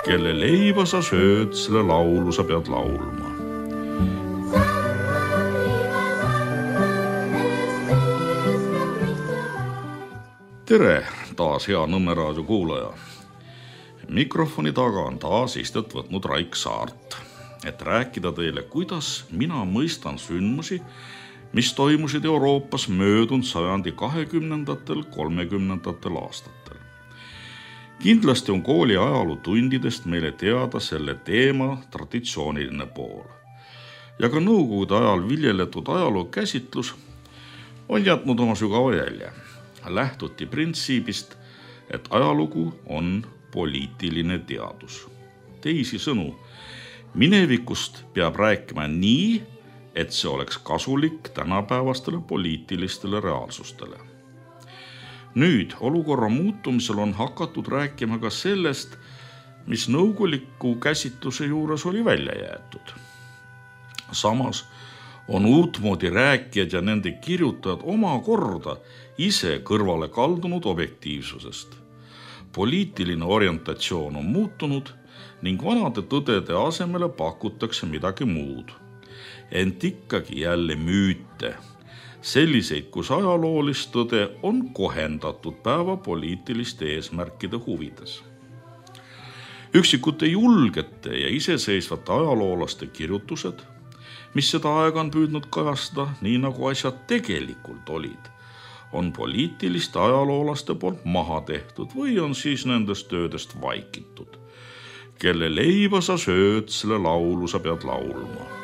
Kelle leiba sa sööd, selle laulu sa pead laulma. Tere, taas hea Nõmme raadio kuulaja. Mikrofoni taga on taas istet võtnud Raik Saart, et rääkida teile, kuidas mina mõistan sündmusi, mis toimusid Euroopas möödunud sajandi 20–30 aastatel. Kindlasti on kooli ajalootundidest meile teada selle teema traditsiooniline pool. Ja ka nõukogude ajal viljeletud ajaloo käsitlus on jätnud oma sügava jälje. Lähtuti printsiibist, et ajalugu on poliitiline teadus. Teisisõnu, minevikust peab rääkima nii, et see oleks kasulik tänapäevastele poliitilistele reaalsustele. Nüüd olukorra muutumisel on hakatud rääkima ka sellest, mis nõukoguliku käsitluse juures oli välja jäetud. Samas on uutmoodi rääkijad ja nende kirjutajad omakorda ise kõrvale kaldunud objektiivsusest. Poliitiline orientatsioon on muutunud ning vanade tõdede asemele pakutakse midagi muud. Ent ikkagi jälle müüte, selliseid, kus ajaloolist tõde on kohendatud päeva poliitiliste eesmärkide huvides. Üksikute julgete ja iseseisvate ajaloolaste kirjutused, mis seda aega on püüdnud kajastada nii nagu asjad tegelikult olid, on poliitiliste ajaloolaste poolt maha tehtud või on siis nendest töödest vaikitud. Kelle leiba sa sööd, selle laulu sa pead laulma.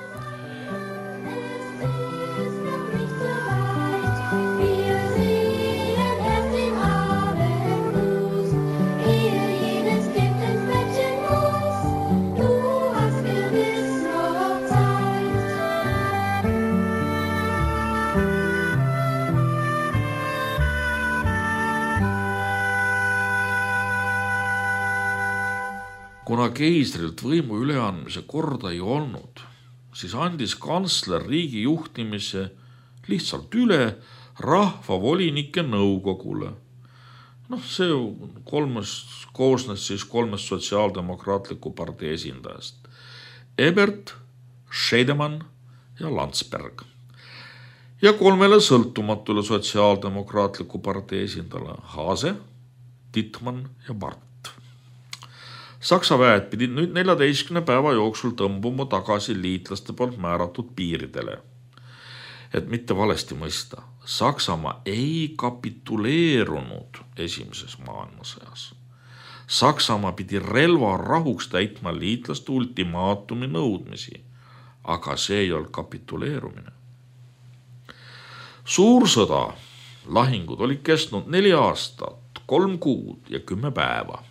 Kuna keisrilt võimu üleandmise korda ei olnud, siis andis kantsler riigi juhtimise lihtsalt üle rahvavolinike nõukogule. See koosnes siis kolmest sotsiaaldemokraatliku partei esindajast. Ebert, Scheidemann ja Landsberg. Ja 3 sõltumatule sotsiaaldemokraatliku partei esindajale Haase, Dittmann ja Barth. Saksa väed pidid nüüd 14 päeva jooksul tõmbuma tagasi liitlaste poolt määratud piiridele. Et mitte valesti mõista, Saksamaa ei kapituleerunud esimeses maailmasõjas. Saksamaa pidi relva rahuks täitma liitlaste ultimaatumi nõudmisi, aga see ei olnud kapituleerumine. Suur sõda, lahingud olid kestnud 4 aastat, 3 kuud ja 10 päeva.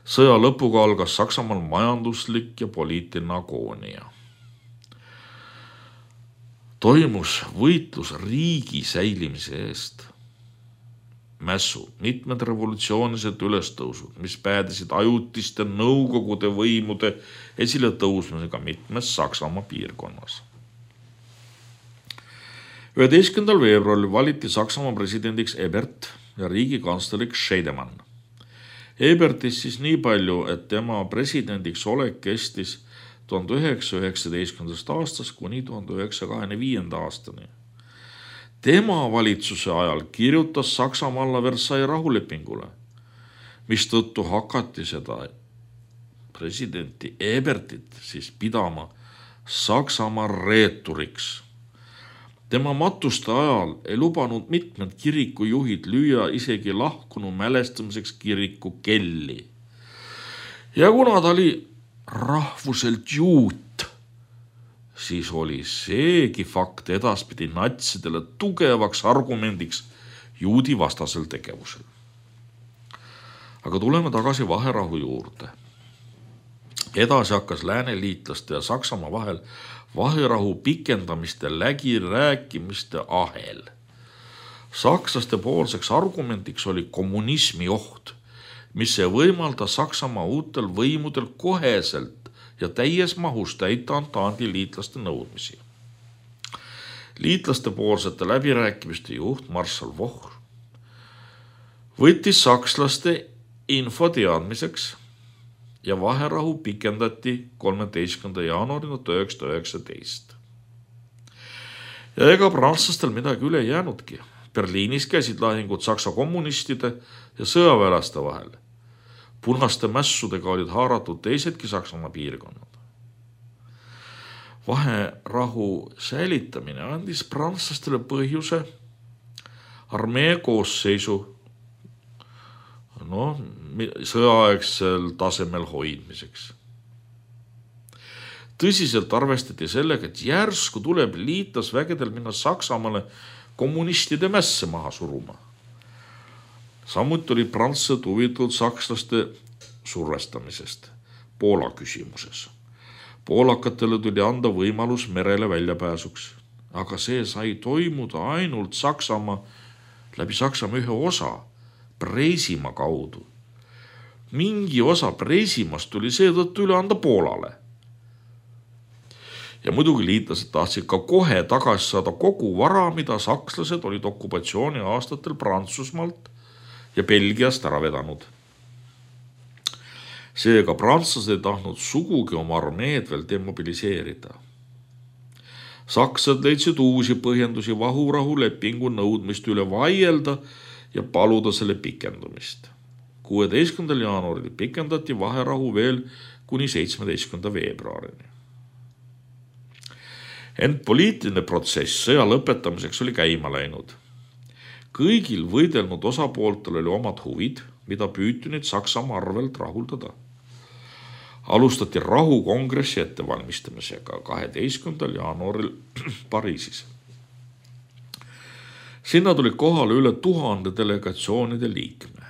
Sõja lõpuga algas Saksamaal majanduslik ja poliitiline agoonia. Toimus võitlus riigi säilimise eest. Mässud, mitmed revolutsioonilised ülestõusud, mis päädisid ajutiste nõukogude võimude esile tõusmisega mitmes Saksamaa piirkonnas. 11. veebruaril valiti Saksamaa presidendiks Ebert ja riigikantsleriks Scheidemann. Ebertist siis nii palju, et tema presidendiks olek kestis 1919. aastast kuni 1925. aastani. Tema valitsuse ajal kirjutas Saksamaa alla Versailles rahulepingule, mis tõttu hakati seda presidenti Ebertit siis pidama Saksamaa reeturiks. Tema matuste ajal ei lubanud mitmed kirikujuhid lüüa isegi lahkunu mälestamiseks kiriku kelli. Ja kuna ta oli rahvuselt juut, siis oli seegi fakt edaspidi natsidele tugevaks argumendiks juudi vastasel tegevusel. Aga tuleme tagasi vaherahu juurde. Edasi hakkas lääneliitlaste ja Saksamaa vahel vaherahu pikendamiste läbirääkimiste ahel. Sakslaste poolseks argumendiks oli kommunismi oht, mis ei võimalda Saksamaa uutel võimudel koheselt ja täies mahus täita Entandi liitlaste nõudmisi. Liitlaste poolsete läbirääkimiste juht Marshal Foch võttis sakslaste info teadmiseks ja vaherahu pikendati 13. jaanuarini 1919. Ja ega prantslastel midagi üle jäänudki. Berliinis käisid lahingud Saksa kommunistide ja sõjaväelaste vahel. Punaste mässudega olid haaratud teisedki Saksamaa piirkonnad. Vaherahu säilitamine andis prantslastele põhjuse armee koosseisu sõjaaegsel tasemel hoidmiseks. Tõsiselt arvestati sellega, et järsku tuleb liitlasvägedel minna Saksamaale kommunistide mässe maha suruma. Samuti oli prantslased huvitatud sakslaste survestamisest Poola küsimuses. Poolakatele tuli anda võimalus merele väljapääsuks, aga see sai toimuda ainult läbi Saksamaa ühe osa, Preisimaa kaudu. Mingi osa Preisimaast tuli seetõttu üle anda Poolale. Ja muidugi liitlased tahtsid ka kohe tagasi saada kogu vara, mida sakslased olid okupatsiooni aastatel Prantsusmaalt ja Belgiast ära vedanud. Seega prantslased ei tahtnud sugugi oma armeed veel demobiliseerida. Saksad leidsid uusi põhjendusi vahurahu lepingu nõudmist üle vaielda ja paluda selle pikendumist. 16. jaanuaril pikendati vaherahu veel kuni 17. veebruarini. Ent poliitiline protsess sõja lõpetamiseks oli käima läinud. Kõigil võidelnud osapooltel oli omad huvid, mida püüti nüüd Saksamaa arvelt rahuldada. Alustati rahukongressi ettevalmistamisega 12. jaanuaril Pariisis. Sinna tuli kohale üle 1000 delegatsioonide liikme.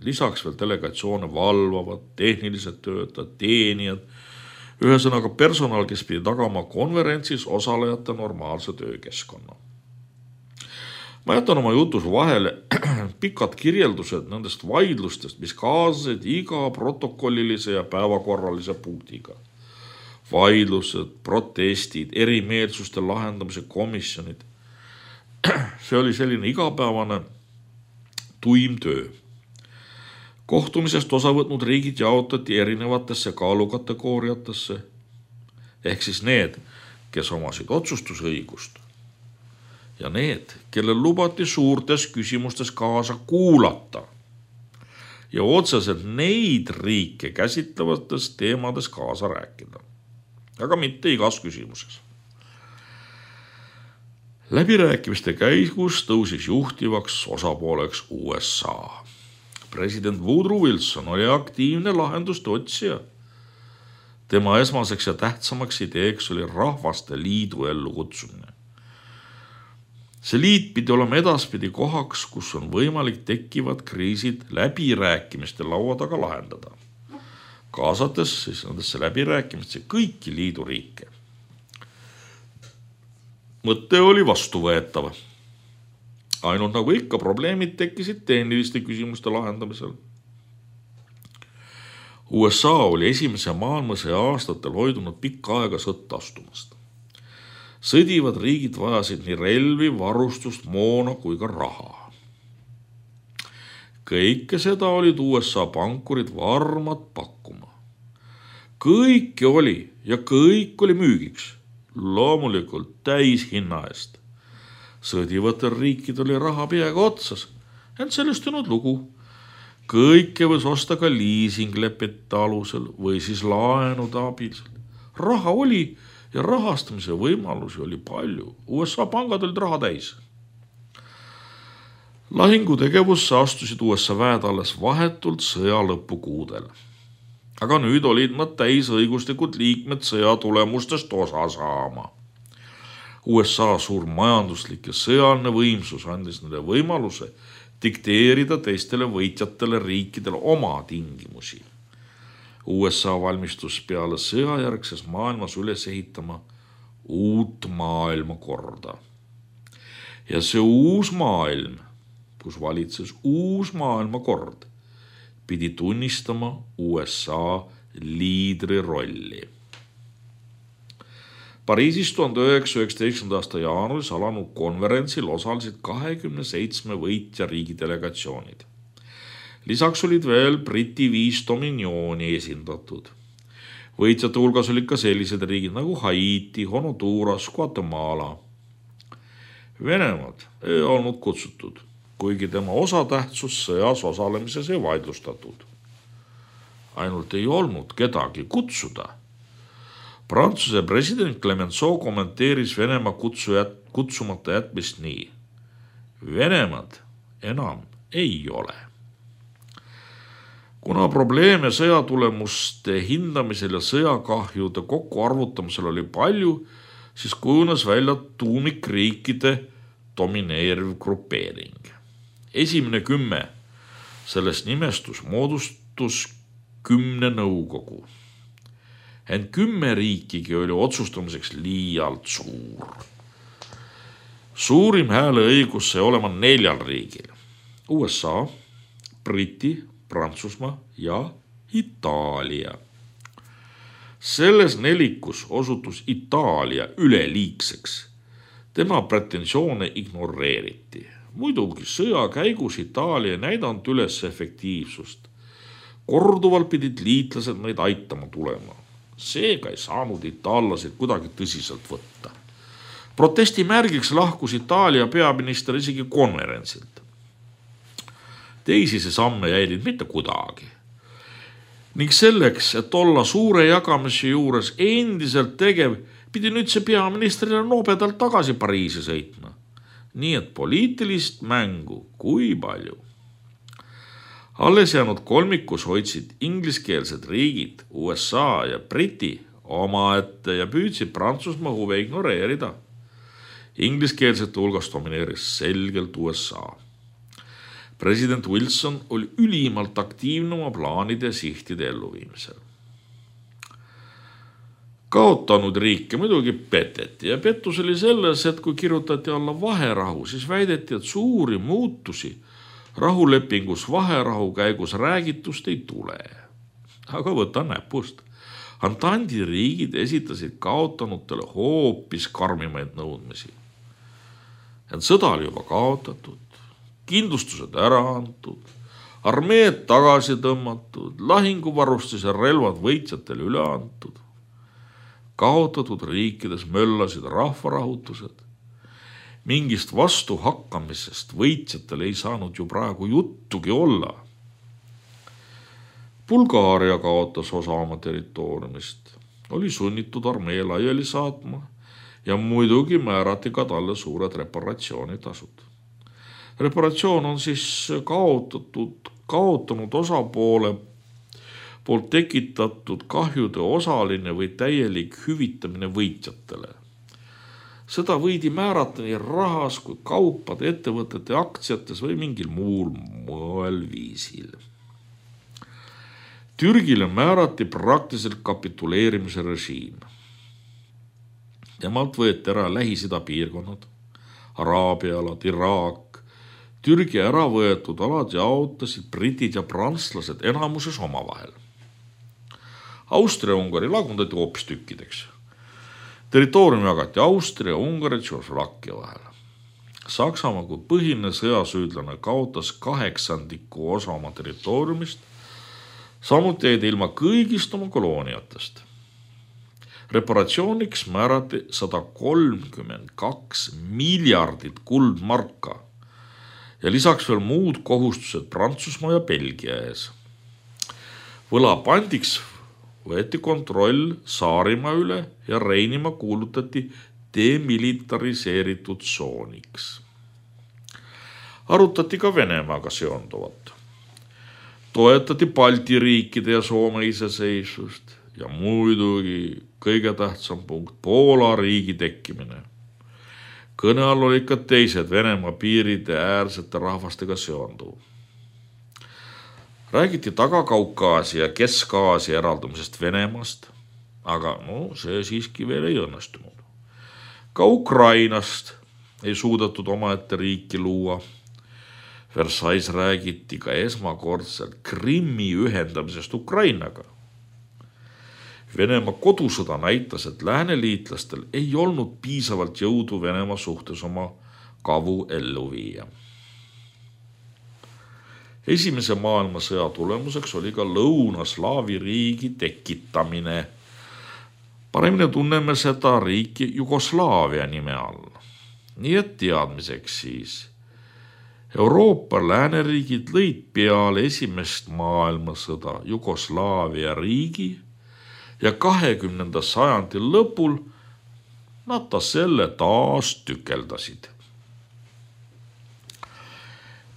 Lisaks veel delegatsioone valvavad, tehnilised töötajad, teenijad, ühesõnaga personal, kes pidi tagama konverentsis osalejate normaalse töökeskkonna. Ma jätan oma jutus vahele pikad kirjeldused nendest vaidlustest, mis kaasasid iga protokollilise ja päevakorralise punktiga. Vaidlused, protestid, erimeelsuste lahendamise komisjonid. See oli selline igapäevane tuim töö. Kohtumisest osa võtnud riigid jaotati erinevatesse kaalukategooriatesse, ehk siis need, kes omasid otsustusõigust ja need, kellel lubati suurtes küsimustes kaasa kuulata ja otseselt neid riike käsitlevates teemades kaasa rääkida, aga mitte igas küsimuses. Läbirääkimiste käigus tõusis juhtivaks osapooleks USA. President Woodrow Wilson oli aktiivne lahenduste otsija. Tema esmaseks ja tähtsamaks ideeks oli rahvaste liidu ellu kutsumine. See liit pidi olema edaspidi kohaks, kus on võimalik tekkivad kriisid läbirääkimiste laua taga lahendada, kaasates siis nendesse läbirääkimiste kõiki liiduriike. Mõte oli vastuvõetav. Ainult nagu ikka probleemid tekkisid tehniliste küsimuste lahendamisel. USA oli esimese maailmasõja aastatel hoidunud pikka aega sõtta astumast. Sõdivad riigid vajasid nii relvi, varustust, moona kui ka raha. Kõike seda olid USA pankurid varmad pakkuma. Kõike oli ja kõik oli müügiks, loomulikult täis hinna eest. Sõdivatel riikid oli raha peaga otsas, ent sellest ei olnud lugu. Kõike võis osta ka liisinglepete alusel või siis laenude abil. Raha oli ja rahastamise võimalusi oli palju. USA pangad olid raha täis. Lahingutegevusse astusid USA väed alles vahetult sõja lõpukuudel. Aga nüüd olid nad täisõiguslikud liikmed sõja tulemustest osa saama. USA suur majanduslik ja sõjaline võimsus andis neile võimaluse dikteerida teistele võitjatele riikidele oma tingimusi. USA valmistus peale sõjajärgses maailmas üles ehitama uut maailmakorda. Ja see uus maailm, kus valitses uus maailmakord, pidi tunnistama USA liidri rolli. Pariisis 1919. aasta jaanuaris alanud konverentsil osalesid 27 võitja riigi delegatsioonid. Lisaks olid veel Briti 5 dominiooni esindatud. Võitjate hulgas olid ka sellised riigid nagu Haiti, Honduras, Guatemala. Venemaad ei olnud kutsutud, kuigi tema osatähtsus sõjas osalemises ei vaidlustatud. Ainult ei olnud kedagi kutsuda. Prantsuse president Clemenceau kommenteeris Venemaa kutsumata jätmist nii. Venemaad enam ei ole. Kuna probleeme sõjatulemuste hindamisel ja sõjakahjude kokkuarvutamisel oli palju, siis kujunes välja tuumikriikide domineeriv grupeering. Esimene 10 sellest nimestus moodustus 10 nõukogu. Ent 10 riikigi oli otsustamiseks liialt suur. Suurim hääleõigus sai olema 4 riigil. USA, Briti, Prantsusmaa ja Itaalia. Selles nelikus osutus Itaalia üleliigseks. Tema pretensioone ignoreeriti. Muidugi sõja käigus Itaalia ei näidanud üles efektiivsust. Korduvalt pidid liitlased neid aitama tulema. Seega ei saanud itaallasid kuidagi tõsiselt võtta. Protesti märgiks lahkus Itaalia peaminister isegi konverentsilt. Teisi see samme jäid mitte kuidagi. Ning selleks, et olla suure jagamise juures endiselt tegev, pidi nüüd see peaministrile nobedalt tagasi Pariisi sõitma. Nii et poliitilist mängu kui palju. Alles jäänud kolmikus hoidsid ingliskeelsed riigid, USA ja Briti omaette ja püüdsid Prantsusmaa huve ignoreerida. Ingliskeelsete hulgas domineeris selgelt USA. President Wilson oli ülimalt aktiivne oma plaanide ja sihtide elluviimisel. Kaotanud riike muidugi peteti ja pettus oli selles, et kui kirjutati alla vaherahu, siis väideti, et suuri muutusi rahulepingus vaherahu käigus räägitust ei tule. Aga võta näpust. Antandi riigid esitasid kaotanutele hoopis karmimaid nõudmisi. Ent sõda oli juba kaotatud. Kindlustused ära antud, armeed tagasi tõmmatud, lahinguvarustus ja relvad võitjatele üle antud. Kaotatud riikides möllasid rahvarahutused. Mingist vastuhakkamisest võitjatel ei saanud ju praegu juttugi olla. Bulgaaria kaotas osa oma territooriumist, oli sunnitud armee laiali saatma ja muidugi määrati ka talle suured reparatsioonitasud. Reparatsioon on siis kaotanud osapoole poolt tekitatud kahjude osaline või täielik hüvitamine võitjatele. Seda võidi määrata nii rahas kui kaupade, ettevõtete aktsiates või mingil muul moel viisil. Türgile määrati praktiliselt kapituleerimise režiim. Temalt võeti ära Lähis-Ida piirkonnad, Araabia alad, Iraak. Türgi ära võetud alad jaotasid britid ja prantslased enamuses omavahel. Austria-Ungari lagundati hoopis tükkideks. Territoorium jagati Austria, Ungari ja Tšehhoslovakkia vahel. Saksamaa kui põhiline sõjasüüdlane kaotas 1/8 osa oma territooriumist, samuti jäid ilma kõigist oma kolooniatest. Reparatsiooniks määrati 132 miljardit kuldmarka ja lisaks veel muud kohustused Prantsusmaa ja Belgia ees. Võlapandiks võeti kontroll Saarimaa üle ja Reinimaa kuulutati demilitariseeritud tsooniks. Arutati ka Venemaaga seonduvat. Toetati Balti riikide ja Soome iseseisvust ja muidugi kõige tähtsam punkt Poola riigi tekkimine. Kõne all olid ka teised Venemaa piiride äärsete rahvastega seonduv. Räägiti Taga-Kaukaasia ja Kesk-Aasia eraldumisest Venemaast, aga see siiski veel ei õnnestunud. Ka Ukrainast ei suudetud omaette riiki luua. Versailles räägiti ka esmakordselt Krimmi ühendamisest Ukrainaga. Venemaa kodusõda näitas, et lääneliitlastel ei olnud piisavalt jõudu Venemaa suhtes oma kavu ellu viia. Esimese maailmasõja tulemuseks oli ka Lõuna-Slaavi riigi tekitamine. Paremini tunneme seda riiki Jugoslaavia nime all. Nii et teadmiseks siis. Euroopa lääneriigid lõid peale esimest maailmasõda Jugoslaavia riigi ja 20. sajandi lõpul nad selle taas tükeldasid.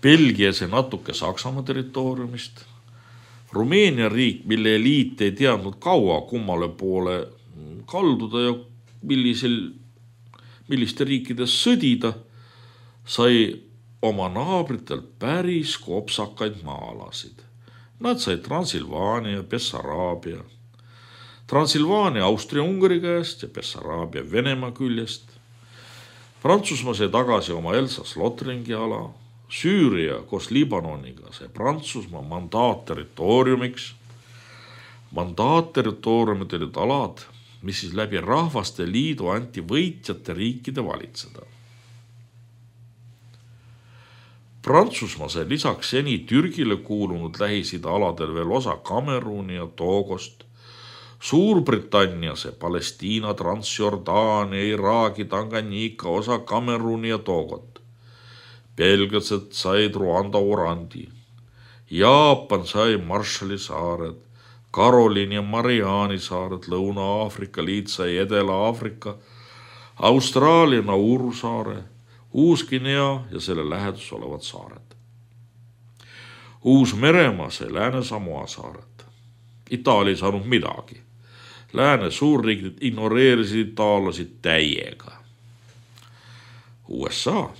Belgias ja natuke Saksamaa territooriumist, Rumeenia riik, mille eliit ei teadnud kaua kummale poole kalduda ja milliste riikides sõdida, sai oma naabritelt päris kopsakaid maa-alasid. Nad sai Transilvaania ja Bessaraabia. Transilvaania Austria-Ungari käest ja Bessaraabia Venemaa küljest. Prantsusmaa sai tagasi oma Elsass-Lothringi ala. Süüria koos Liibanoniga sai Prantsusmaa mandaatterritooriumiks. Mandaatterritooriumid olid alad, mis siis läbi Rahvaste Liidu anti võitjate riikide valitseda. Prantsusmaa sai lisaks seni Türgile kuulunud Lähis-Ida aladel veel osa Kameruni ja Togost. Suurbritannia sai Palestiina, Transjordaania, Iraagi, Tanganyika osa Kameruni ja Togot. Belgiased said Ruanda Orandi. Jaapan sai Marshalli saared, Karoliini ja Mariani saared, Lõuna-Aafrika liit sai Edela-Aafrika, Austraalia Nauru saare, Uus-Guinea ja selle lähedus olevad saared. Uus-Meremaa sai Lääne-Samoa saared. Itaalia ei saanud midagi. Lääne suurriigid ignoreerisid itaalasid täiega. USA.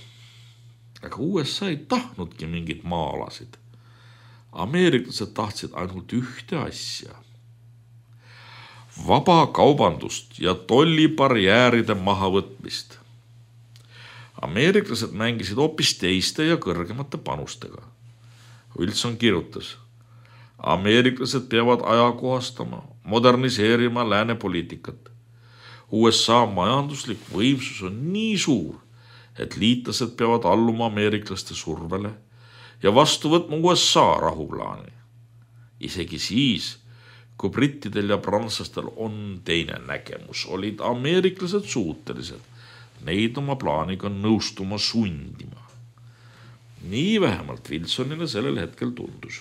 Aga USA ei tahtnudki mingit maa-alasid. Ameeriklased tahtsid ainult ühte asja. Vaba kaubandust ja tollibarjääride mahavõtmist. Ameeriklased mängisid hoopis teiste ja kõrgemate panustega. Wilson kirjutas, ameeriklased peavad ajakohastama, moderniseerima lääne poliitikat. USA majanduslik võimsus on nii suur, et liitlased peavad alluma ameeriklaste survele ja vastu võtma USA rahuplaani. Isegi siis, kui brittidel ja prantslastel on teine nägemus, olid ameeriklased suutelised neid oma plaaniga nõustuma sundima. Nii vähemalt Wilsonile sellel hetkel tundus.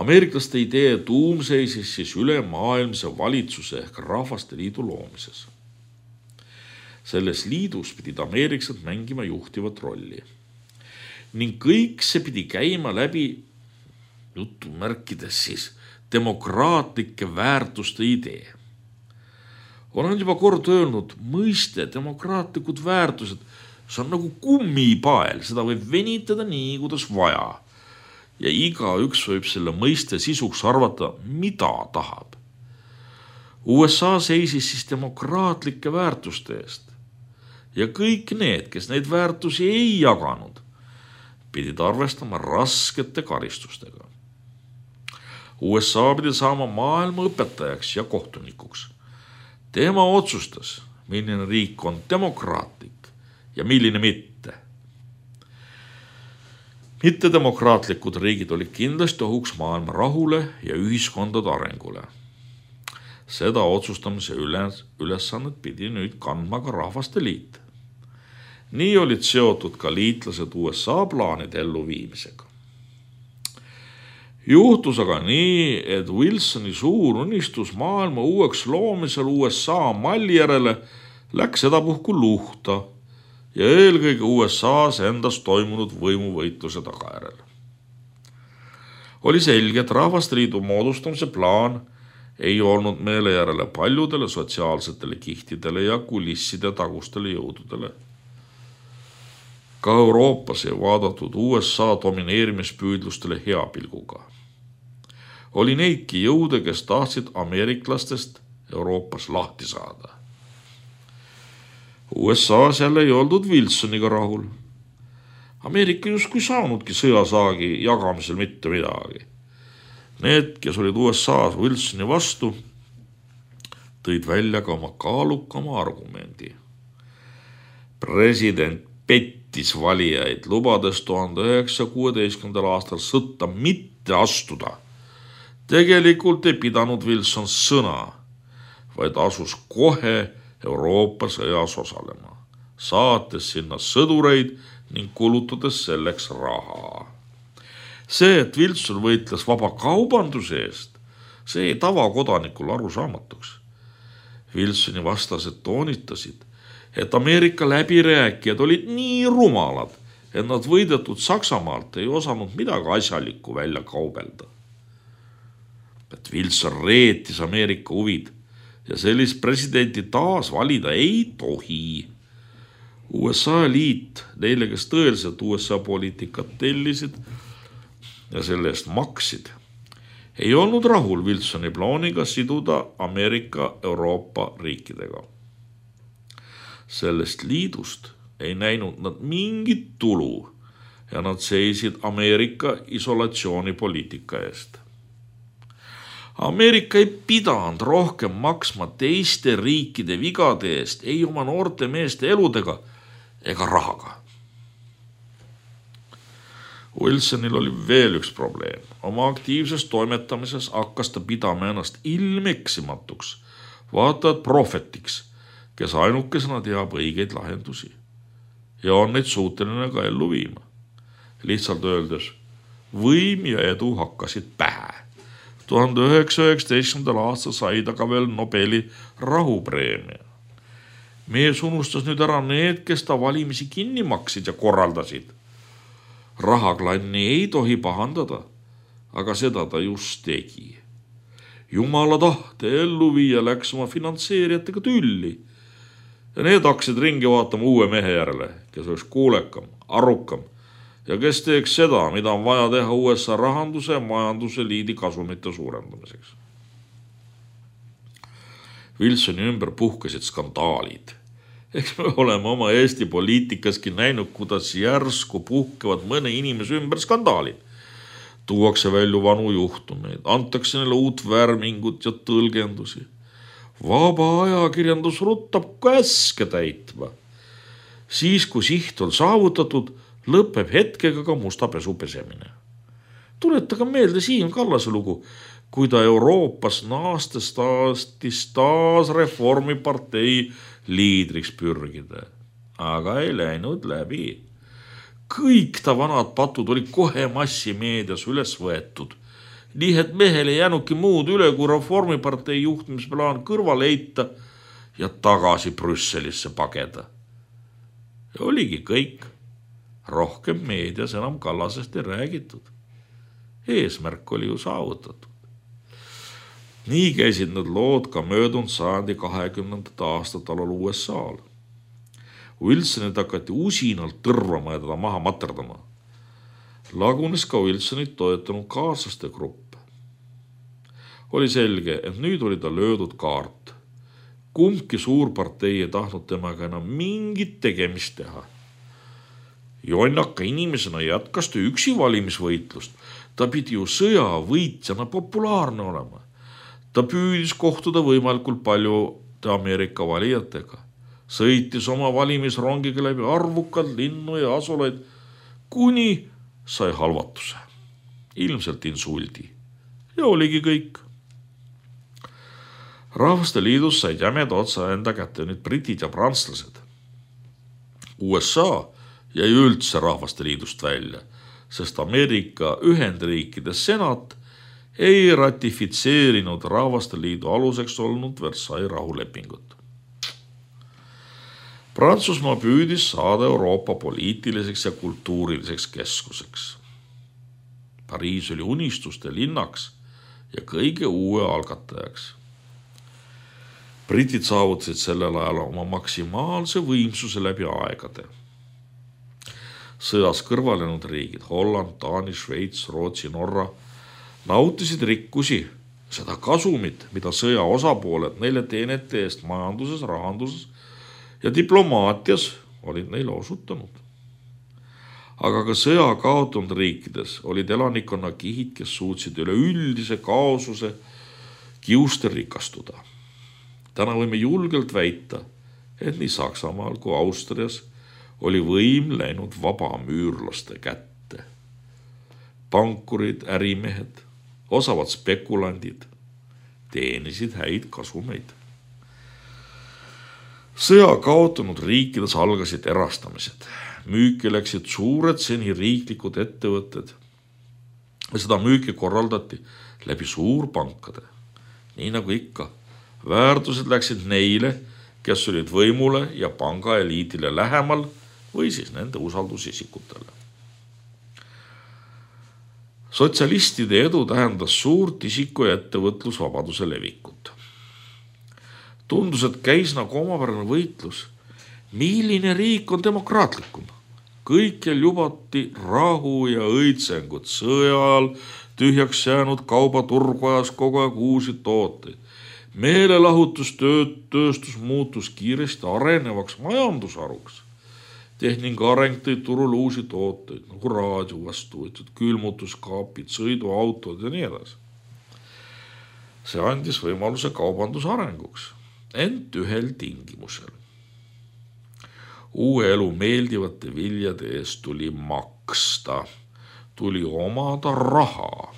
Ameeriklaste idee tuum seisis siis ülemaailmse valitsuse ehk Rahvaste Liidu loomises. Selles liidus pidid ameeriklased mängima juhtivat rolli. Ning kõik see pidi käima läbi jutumärkides siis demokraatlike väärtuste idee. Olen juba kord öelnud, mõiste demokraatlikud väärtused, see on nagu kummipael, seda võib venitada nii, kuidas vaja. Ja igaüks võib selle mõiste sisuks arvata, mida tahab. USA seisis siis demokraatlike väärtuste eest. Ja kõik need, kes neid väärtusi ei jaganud, pidid arvestama raskete karistustega. USA pidi saama maailma õpetajaks ja kohtunikuks. Tema otsustas, milline riik on demokraatlik ja milline mitte. Mittedemokraatlikud riigid olid kindlasti ohuks maailma rahule ja ühiskondade arengule. Seda otsustamise ülesannet pidi nüüd kandma ka Rahvaste Liit. Nii olid seotud ka liitlased USA plaanide elluviimisega. Juhtus aga nii, et Wilsoni suur unistus maailma uueks loomisel USA malli järele läks sedapuhku luhta ja eelkõige USA's endas toimunud võimuvõitluse tagajärjel. Oli selge, et Rahvaste Liidu moodustamise plaan ei olnud meele järele paljudele sotsiaalsetele kihtidele ja kulisside tagustele jõududele. Ka Euroopas ei vaadatud USA domineerimispüüdlustele hea pilguga. Oli neidki jõude, kes tahtsid ameeriklastest Euroopas lahti saada. USA's jälle ei oldud Wilsoniga rahul. Ameerika justkui saanudki sõjasaagi jagamisel mitte midagi. Need, kes olid USA's Wilsoni vastu, tõid välja ka oma kaalukama argumendi. President pettis pettis valijaid, lubades 1916. aastal sõtta mitte astuda. Tegelikult ei pidanud Wilson sõna, vaid asus kohe Euroopa sõjas osalema, saates sinna sõdureid ning kulutades selleks raha. See, et Wilson võitles vaba kaubanduse eest, see ei tavakodanikul arusaamatuks. Wilsoni vastased toonitasid, et Ameerika läbirääkijad olid nii rumalad, et nad võidetud Saksamaalt ei osanud midagi asjalikku välja kaubelda. Et Wilson reetis Ameerika huvid ja sellist presidenti taas valida ei tohi. USA liit, neile, kes tõeliselt USA poliitikat tellisid ja selle eest maksid, ei olnud rahul Wilsoni plaaniga siduda Ameerika Euroopa riikidega. Sellest liidust ei näinud nad mingit tulu ja nad seisid Ameerika isolatsioonipoliitika eest. Ameerika ei pidanud rohkem maksma teiste riikide vigade eest ei oma noorte meeste eludega ega rahaga. Wilsonil oli veel üks probleem. Oma aktiivses toimetamises hakkas ta pidama ennast ilmeksimatuks, vaatad prohvetiks, kes ainukesena teab õigeid lahendusi ja on neid suuteline ka ellu viima. Lihtsalt öeldes, võim ja edu hakkasid pähe. 1919. aastal sai ta ka veel Nobeli rahupreemia. Mees unustas nüüd ära need, kes ta valimisi kinni maksid ja korraldasid. Rahaklanni ei tohi pahandada, aga seda ta just tegi. Jumala tahte ellu viia läks oma finantseerijatega tülli ja need hakkasid ringi vaatama uue mehe järele, kes oleks kuulekam, arukam ja kes teeks seda, mida on vaja teha USA rahanduse ja majanduse liidi kasumite suurendamiseks. Wilsoni ümber puhkesid skandaalid. Eks me oleme oma Eesti poliitikaski näinud, kuidas järsku puhkevad mõne inimese ümber skandaalid. Tuuakse välja vanu juhtumeid, antakse neile uut värmingut ja tõlgendusi. Vaba ajakirjandus ruttab käske täitma. Siis, kui siht on saavutatud, lõpeb hetkega ka musta pesu pesemine. Tuletaga meelde Siim Kallase lugu, kui ta Euroopas naastes taas reformipartei liidriks pürgida, aga ei läinud läbi. Kõik ta vanad patud olid kohe massimeedias üles võetud. Nii et mehel ei jäänudki muud üle, kui reformipartei juhtimisplaan kõrvale heita ja tagasi Brüsselisse pageda. Ja oligi kõik. Rohkem meedias enam Kallasest ei räägitud. Eesmärk oli ju saavutatud. Nii käisid need lood ka möödunud sajandi 20. aastat alal USA-l. Wilsonit hakati usinalt tõrvama ja teda maha materdama. Lagunes ka Wilsonit toetanud kaaslaste grupp. Oli selge, et nüüd oli ta löödud kaart. Kumbki suurpartei ei tahtnud temaga enam mingit tegemist teha. Jonnaka inimesena jätkas ta üksi valimisvõitlust. Ta pidi ju sõjavõitjana populaarne olema. Ta püüdis kohtuda võimalikult palju Ameerika valijatega. Sõitis oma valimisrongiga läbi arvukad linnu ja asulaid, kuni sai halvatuse. Ilmselt insuldi. Ja oligi kõik. Rahvaste liidus said jämeda otsa enda kätte nüüd britid ja prantslased. USA jäi üldse Rahvaste liidust välja, sest Ameerika Ühendriikide senat ei ratifitseerinud Rahvaste liidu aluseks olnud Versailles rahulepingut. Prantsusmaa püüdis saada Euroopa poliitiliseks ja kultuuriliseks keskuseks. Pariis oli unistuste linnaks ja kõige uue algatajaks. Britid saavutasid sellel ajal oma maksimaalse võimsuse läbi aegade. Sõjas kõrvalenud riigid, Holland, Taani, Šveits, Rootsi, Norra, nautisid rikkusi, seda kasumit, mida sõja osapooled neile teenete eest majanduses, rahanduses ja diplomaatias olid neile osutanud. Aga ka sõja kaotanud riikides olid elanikkonna kihid, kes suutsid üle üldise kaosuse kiuste rikastuda. Täna võime julgelt väita, et nii Saksamaal kui Austrias oli võim läinud vabamüürlaste kätte. Pankurid, ärimehed, osavad spekulandid teenisid häid kasumeid. Sõja kaotanud riikides algasid erastamised. Müüki läksid suured seni riiklikud ettevõtted. Seda müüki korraldati läbi suurpankade. Nii nagu ikka, väärtused läksid neile, kes olid võimule ja pangaeliidile lähemal või siis nende usaldusisikutele. Sotsialistide edu tähendas suurt isiku- ja ettevõtlusvabaduse levikut. Tundus, et käis nagu omapärane võitlus. Milline riik on demokraatlikum? Kõikjal lubati rahu ja õitsengut. Sõja ajal tühjaks jäänud kaubaturg vajas kogu aeg uusi tooteid. Meelelahutustööstus muutus kiiresti arenevaks majandusharuks. Tehnika areng tõi turul uusi tooteid, nagu raadiovastuvõtjad, külmutuskaapid, sõiduautod ja nii edasi. See andis võimaluse kaubanduse arenguks, ent ühel tingimusel. Uue elu meeldivate viljade eest tuli maksta, tuli omada raha.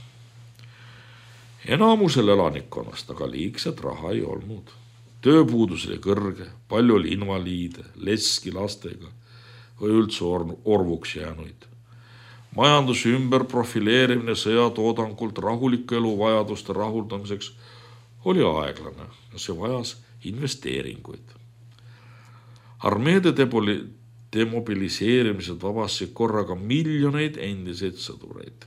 Enamusel elanikkonnast aga liigset raha ei olnud. Tööpuudus oli kõrge, palju oli invaliide, leski lastega või üldse orvuks jäänuid. Majanduse ümber profileerimine sõjatoodangult rahuliku elu vajaduste rahuldamiseks oli aeglane ja see vajas investeeringuid. Armeede demobiliseerimised vabastasid korraga miljoneid endiseid sõdureid.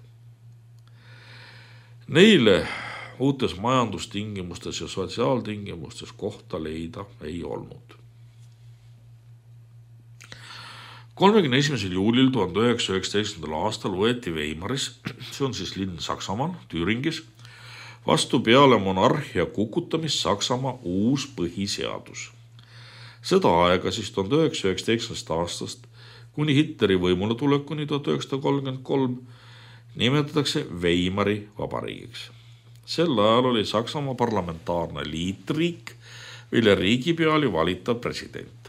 Neile uutes majandustingimustes ja sotsiaaltingimustes kohta leida ei olnud. 31. juulil 1919. aastal võeti Weimaris, see on siis linn Saksamaal, Thüringis, vastu peale monarhia kukutamist Saksamaa uus põhiseadus. Seda aega siis 1919. aastast kuni Hitleri võimule tulekuni 1933 nimetatakse Weimari vabariigiks. Sel ajal oli Saksamaa parlamentaarne liitriik, mille riigipea oli valitav president.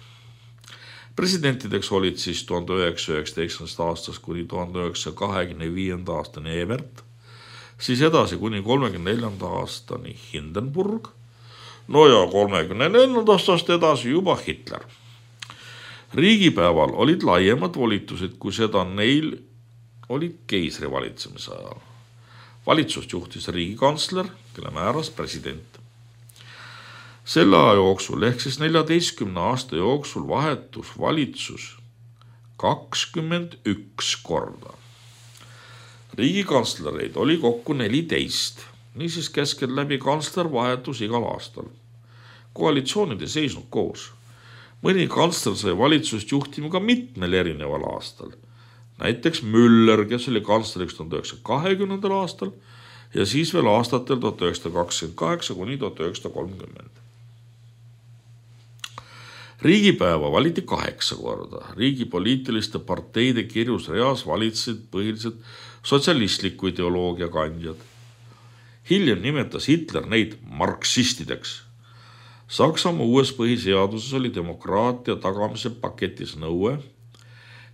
Presidentideks olid siis 1919. aastast kuni 1925. aastani Ebert, siis edasi kuni 1934. aastani Hindenburg, no ja 1934. aastast edasi juba Hitler. Riigipäeval olid laiemad volitused, kui seda neil olid keisri valitsemise ajal. Valitsust juhtis riigikantsler, kelle määras president. Selle aja jooksul ehk siis 14 aasta jooksul vahetus valitsus 21 korda. Riigikantslereid oli kokku 14, niisiis keskeltläbi kantsler vahetus igal aastal. Koalitsioonid ei seisnud koos. Mõni kantsler sai valitsust juhtima ka mitmel erineval aastal. Näiteks Müller, kes oli kantsleriks 1920. aastal ja siis veel aastatel 1928 kuni 1930. Riigipäeva valiti 8 korda. Riigi poliitiliste parteide kirjus reas valitsesid põhiliselt sotsialistliku ideoloogia kandjad. Hiljem nimetas Hitler neid marksistideks. Saksamaa uues põhiseaduses oli demokraatia tagamise paketis nõue,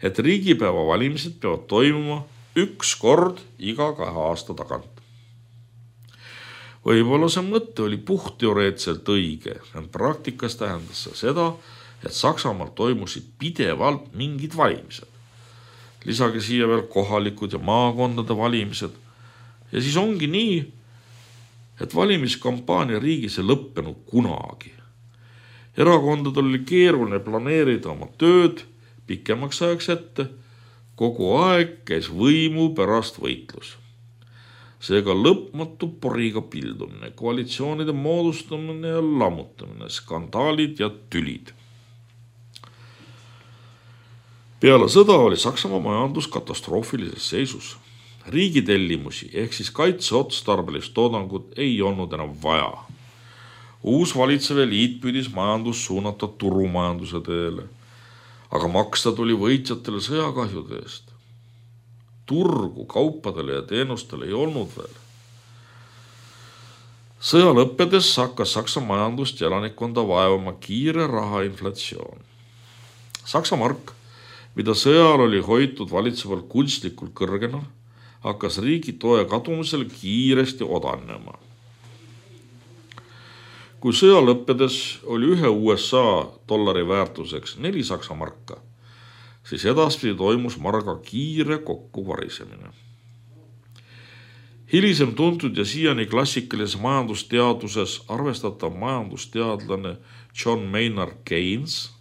et riigipäeva valimised peavad toimuma 1 kord iga 2 aasta tagant. Võib-olla see mõte oli puhtteoreetselt õige, ent praktikas tähendas see seda, et Saksamaal toimusid pidevalt mingid valimised. Lisage siia veel kohalikud ja maakondade valimised. Ja siis ongi nii, et valimiskampaania riigis ei lõppenud kunagi. Erakondadel oli keeruline planeerida oma tööd pikemaks ajaks ette, kogu aeg käis võimu pärast võitlus. Seega lõpmatu poriga pildumine, koalitsioonide moodustamine ja lammutamine, skandaalid ja tülid. Peale sõda oli Saksamaa majandus katastroofilises seisus. Riigitellimusi ehk siis kaitseotstarbelist toodangut ei olnud enam vaja. Uus valitsev eliit püüdis majandus suunata turumajanduse teele, aga maksta tuli võitjatele sõjakahjude eest. Turgu kaupadele ja teenustele ei olnud veel. Sõja lõppedes hakkas Saksa majandust ja elanikkonda vaevama kiire rahainflatsioon. Saksa mark mida sõjal oli hoitud valitseval kunstlikult kõrgena, hakkas riigi toe kadumisel kiiresti odanema. Kui sõja lõppedes oli ühe USA dollari väärtuseks 4 Saksa marka, siis edaspidi toimus marga kiire kokkuvarisemine. Hilisem tuntud ja siiani klassikalises majandusteaduses arvestatav majandusteadlane John Maynard Keynes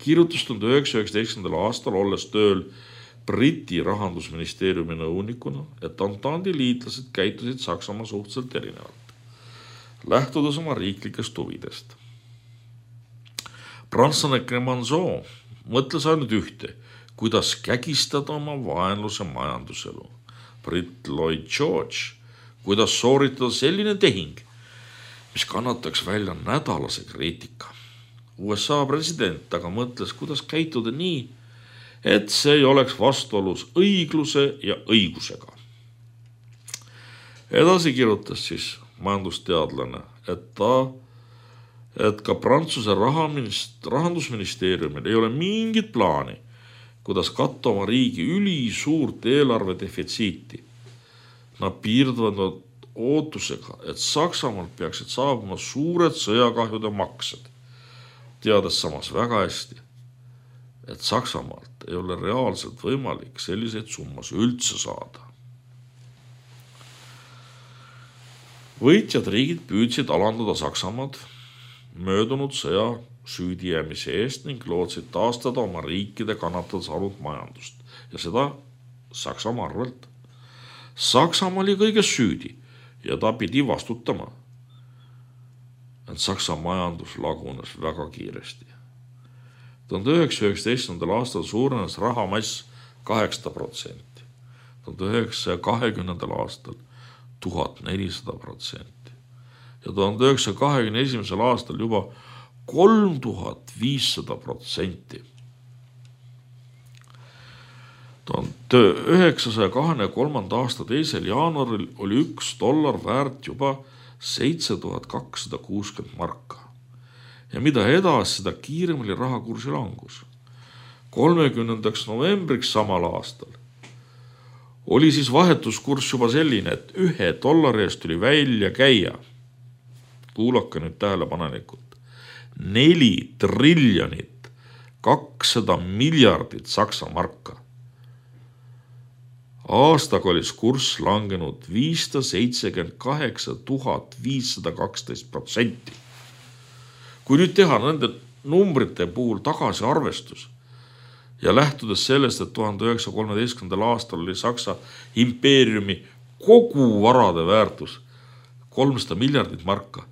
kirjutas 1919. aastal olles tööl Briti rahandusministeeriumi nõunikuna, et Entente liitlased käitusid Saksamaa suhteliselt erinevalt, lähtudes oma riiklikest huvidest. prantslane Clemenceau mõtles ainult ühte, kuidas kägistada oma vaenluse majanduselu. Britt Lloyd George, kuidas sooritada selline tehing, mis kannataks välja nädalase kriitika. USA president aga mõtles, kuidas käituda nii, et see ei oleks vastuolus õigluse ja õigusega. Edasi kirjutas siis majandusteadlane, et ka Prantsuse rahandusministeeriumil ei ole mingit plaani, kuidas katta oma riigi ülisuurt eelarve defitsiiti. Nad piirduvad ootusega, et Saksamaalt peaksid saabuma suured sõjakahjude maksed, teades samas väga hästi, et Saksamaalt ei ole reaalselt võimalik selliseid summas üldse saada. Võitjad riigid püüdsid alandada Saksamaad möödunud sõja süüdijäämise eest ning lootsid taastada oma riikide kannatada saanud majandust ja seda Saksamaa arvelt. Saksamaa oli kõiges süüdi ja ta pidi vastutama. Et Saksa majandus lagunes väga kiiresti. 1919. aastal suurenes rahamass 8%, 1920. aastal 1400% ja 1921. aastal juba 3500%. 1923. aasta 2. jaanuaril oli $1 väärt juba 7260 marka. Ja mida edasi, seda kiirem oli rahakursi langus. 30. novembriks samal aastal oli siis vahetuskurss juba selline, et $1 eest tuli välja käia. Kuulake nüüd tähelepanelikult. 4 triljonit 200 miljardit Saksa marka. Aastaga oli kurss langenud 578 512%. Kui nüüd teha nende numbrite puhul tagasi arvestus ja lähtudes sellest, et 1913. aastal oli Saksa impeeriumi kogu varade väärtus 300 miljardit marka,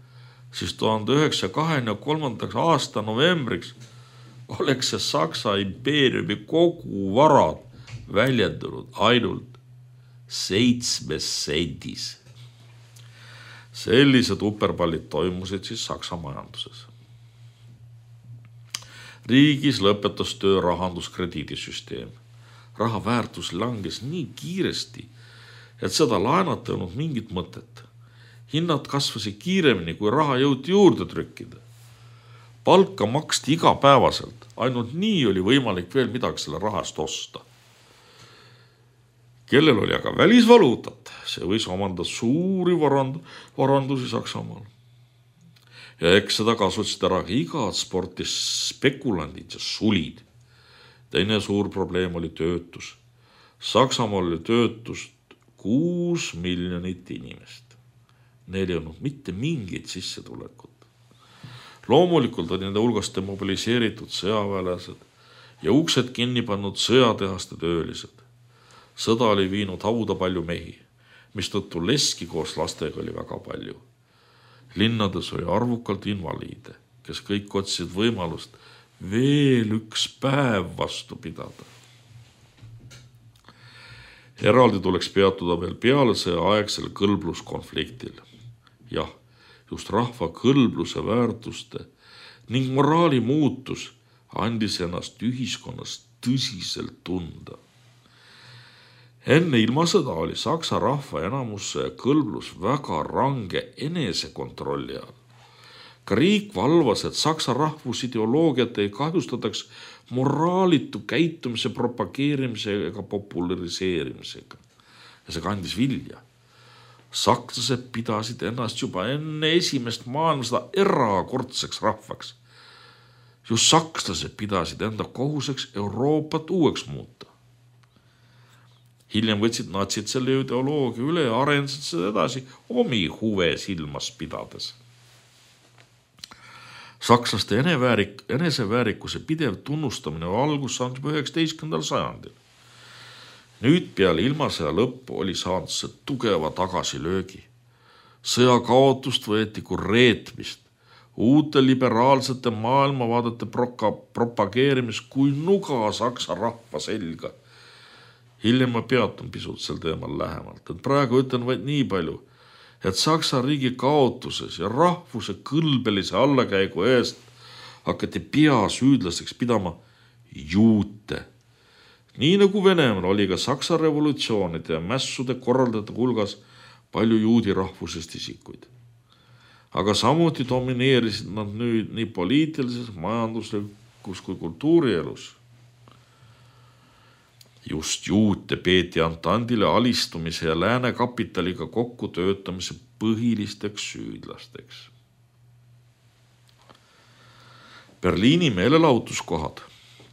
siis 1923. aasta novembriks oleks see Saksa impeeriumi kogu varad väljendunud ainult 7 sendis. Sellised uperpallid toimusid siis Saksa majanduses. Riigis lõpetas töö rahanduskrediidisüsteem. Raha väärtus langes nii kiiresti, et seda laenata ei olnud mingit mõtet. Hinnad kasvasid kiiremini, kui raha jõuti juurde trükkida. Palka maksti igapäevaselt, ainult nii oli võimalik veel midagi selle rahast osta. Kellel oli aga välisvaluutat, see võis omanda suuri varandusi Saksamaal. Ja eks seda kasutasid ära igad sportis spekulandid ja sulid. Teine suur probleem oli töötus. Saksamaal oli töötust 6 miljonit inimest. Neil ei olnud mitte mingit sissetulekut. Loomulikult oli nende hulgast demobiliseeritud sõjaväelased ja uksed kinni pannud sõjatehaste töölised. Sõda oli viinud hauda palju mehi, mistõttu leski koos lastega oli väga palju. Linnades oli arvukalt invaliide, kes kõik otsisid võimalust veel üks päev vastu pidada. Eraldi tuleks peatuda veel peale sõjaaegsel kõlbluskonfliktil. Jah, just rahva kõlbluse väärtuste ning moraali muutus andis ennast ühiskonnas tõsiselt tunda. Enne ilmasõda oli Saksa rahva enamus kõlblus väga range enesekontrolli all. Ka riik valvas, et saksa rahvusideoloogiat ei kahjustataks moraalitu käitumise propageerimise ega populariseerimisega. Ja see kandis vilja. Sakslased pidasid ennast juba enne esimest maailmasõda erakordseks rahvaks. Just sakslased pidasid enda kohuseks Euroopat uueks muuta. Hiljem võtsid natsid selle ideoloogia üle ja arendasid seda edasi omi huve silmas pidades. Sakslaste eneseväärikuse pidev tunnustamine algus saanud juba 19. sajandil. Nüüd peale ilmasõja lõppu oli saanud see tugeva tagasilöögi. Sõja kaotust võeti kui reetmist, uute liberaalsete maailmavaadete propageerimist kui nuga saksa rahva selga. Hiljem ma peatun pisut sel teemal lähemalt, et praegu ütlen vaid nii palju, et Saksa riigi kaotuses ja rahvuse kõlbelise allakäigu eest hakati peasüüdlaseks pidama juute. Nii nagu Venemaal oli ka Saksa revolutsioonide ja mässude korraldajate hulgas palju juudi rahvusest isikuid. Aga samuti domineerisid nad nüüd nii poliitilises, majanduslikus kui kultuurielus. Just juute peeti Antandile alistumise ja lääne kapitaliga kokku töötamise põhilisteks süüdlasteks. Berliini meelelahutuskohad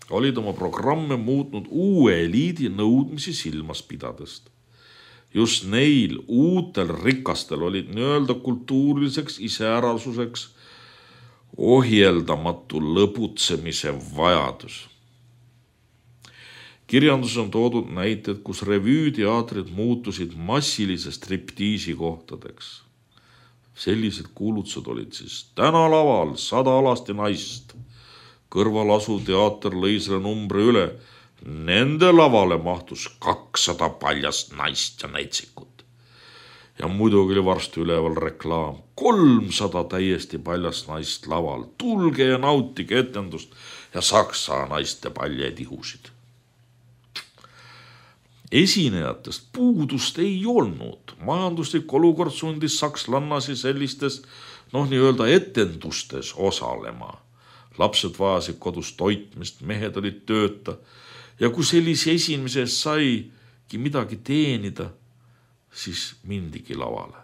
olid oma programme muutnud uue eliidi nõudmisi silmas pidadest. Just neil uutel rikastel olid nii-öelda kultuuriliseks iseärasuseks ohjeldamatu lõbutsemise vajadus. Kirjanduses on toodud näited, kus revüüteatrid muutusid massilise striptiisi kohtadeks. Sellised kuulutused olid siis tänalaval 100 alasti naist. Kõrval asuv teater lõi selle numbri üle. Nende lavale mahtus 200 paljast naist ja näitsikut. Ja muidugi oli varsti üleval reklaam. 300 täiesti paljast naist laval. Tulge ja nautige etendust ja saksa naiste paljetihusid. Esinejatest puudust ei olnud. Majanduslik olukord sundis sakslannasi sellistes, nii-öelda etendustes osalema. Lapsed vajasid kodus toitmist, mehed olid tööta ja kui sellise esinemise eest saigi midagi teenida, siis mindigi lavale.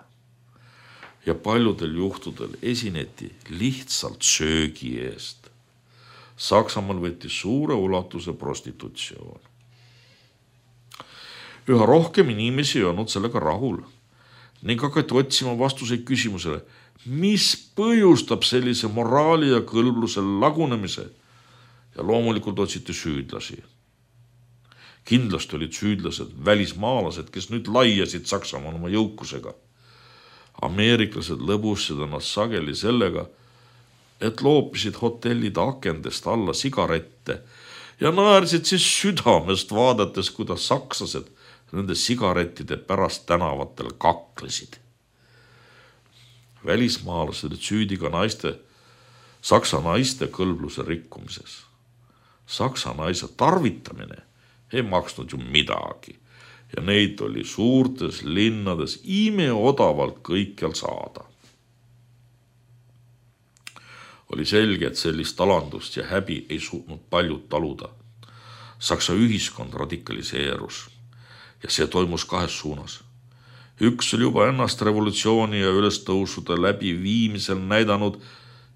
Ja paljudel juhtudel esineti lihtsalt söögi eest. Saksamaal võttis suure ulatuse prostitutsioon. Üha rohkem inimesi ei olnud sellega rahul ning hakati otsima vastuseid küsimusele, mis põhjustab sellise moraali ja kõlbluse lagunemise ja loomulikult otsiti süüdlasi. Kindlasti olid süüdlased välismaalased, kes nüüd laiasid Saksamaal oma jõukusega. Ameeriklased lõbusid ennast sageli sellega, et loopisid hotellide akendest alla sigarette ja naersid siis südamest vaadates, kuidas sakslased nende sigarettide pärast tänavatel kaklesid. Välismaalased olid süüdi ka saksa naiste kõlbluse rikkumises. Saksa naise tarvitamine ei maksnud ju midagi ja neid oli suurtes linnades imeodavalt kõikjal saada. Oli selge, et sellist alandust ja häbi ei suutnud paljud taluda. Saksa ühiskond radikaliseerus ja see toimus kahes suunas. Üks oli juba ennast revolutsiooni ja ülestõusude läbi viimisel näidanud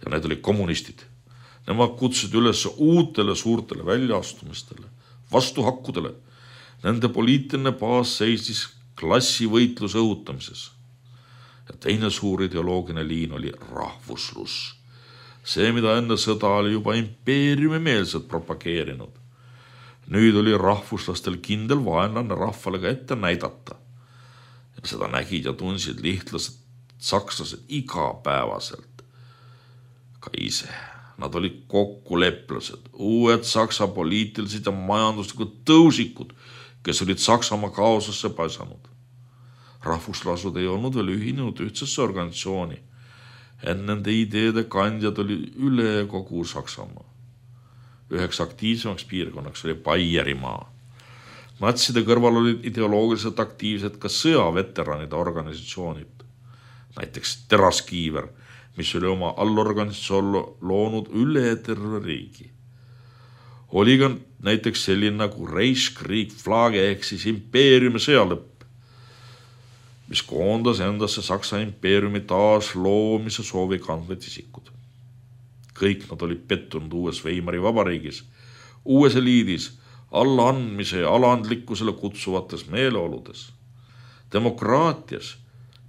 ja need olid kommunistid. Nemad kutsusid üles uutele suurtele väljaastumistele, vastuhakkudele. Nende poliitiline baas seisis klassivõitluse õhutamises. Ja teine suur ideoloogiline liin oli rahvuslus. See, mida enne sõda oli juba impeeriumimeelselt propageerinud. Nüüd oli rahvuslastel kindel vaenlane rahvale ka ette näidata. Ja seda nägid ja tundsid lihtlased sakslased igapäevaselt. Ka ise. Nad olid kokkuleplased, uued saksa poliitilised ja majanduslikud tõusikud, kes olid Saksamaa kaosasse paisanud. Rahvuslasud ei olnud veel ühinenud ühtsesse organisatsiooni. Nende ideede kandjad oli üle kogu Saksamaa. Üheks aktiivsemaks piirkonnaks oli Baierimaa. Natside kõrval olid ideoloogiliselt aktiivsed ka sõjaveteranide organisatsioonid. Näiteks Teraskiiver, mis oli oma allorganisatsioon loonud üle terve riigi. Oli ka näiteks selline nagu Reichskrieg Flage ehk siis impeeriumi sõjalõpp, mis koondas endasse Saksa impeeriumi taas loomise soovi kandvad isikud. Kõik nad olid pettunud uues Weimari vabariigis, uues eliidis, allaandmise ja alandlikkusele kutsuvates meeleoludes, demokraatias,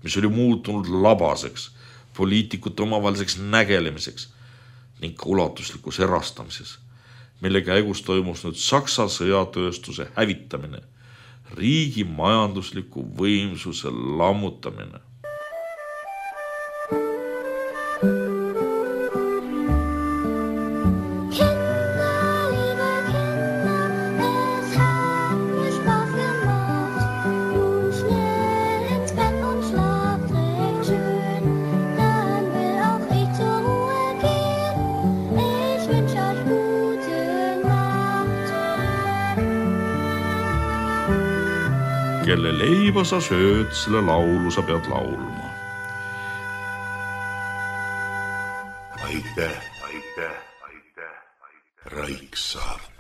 mis oli muutunud labaseks, poliitikute omavaheliseks nägelemiseks ning ka ulatuslikus erastamises, mille käigus toimus nüüd Saksa sõjatööstuse hävitamine, riigi majandusliku võimsuse lammutamine. Kelle leiba sa sööd, selle laulu sa pead laulma. Aitäh, Raiksaart.